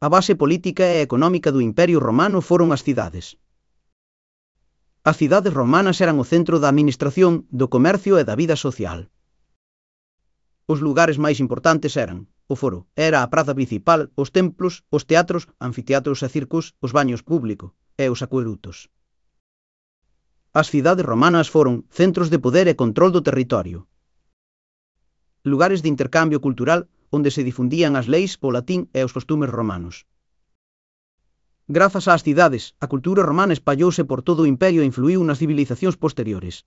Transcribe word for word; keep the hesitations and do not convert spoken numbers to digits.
A base política e económica do Imperio Romano foron as cidades. As cidades romanas eran o centro da administración, do comercio e da vida social. Os lugares máis importantes eran o foro, era a praza principal, os templos, os teatros, anfiteatros e circos, os baños públicos e os acuedutos. As cidades romanas foron centros de poder e control do territorio. Lugares de intercambio cultural onde se difundían as leis, o latín e os costumes romanos. Grazas ás cidades, a cultura romana espallouse por todo o imperio e influíu nas civilizacións posteriores.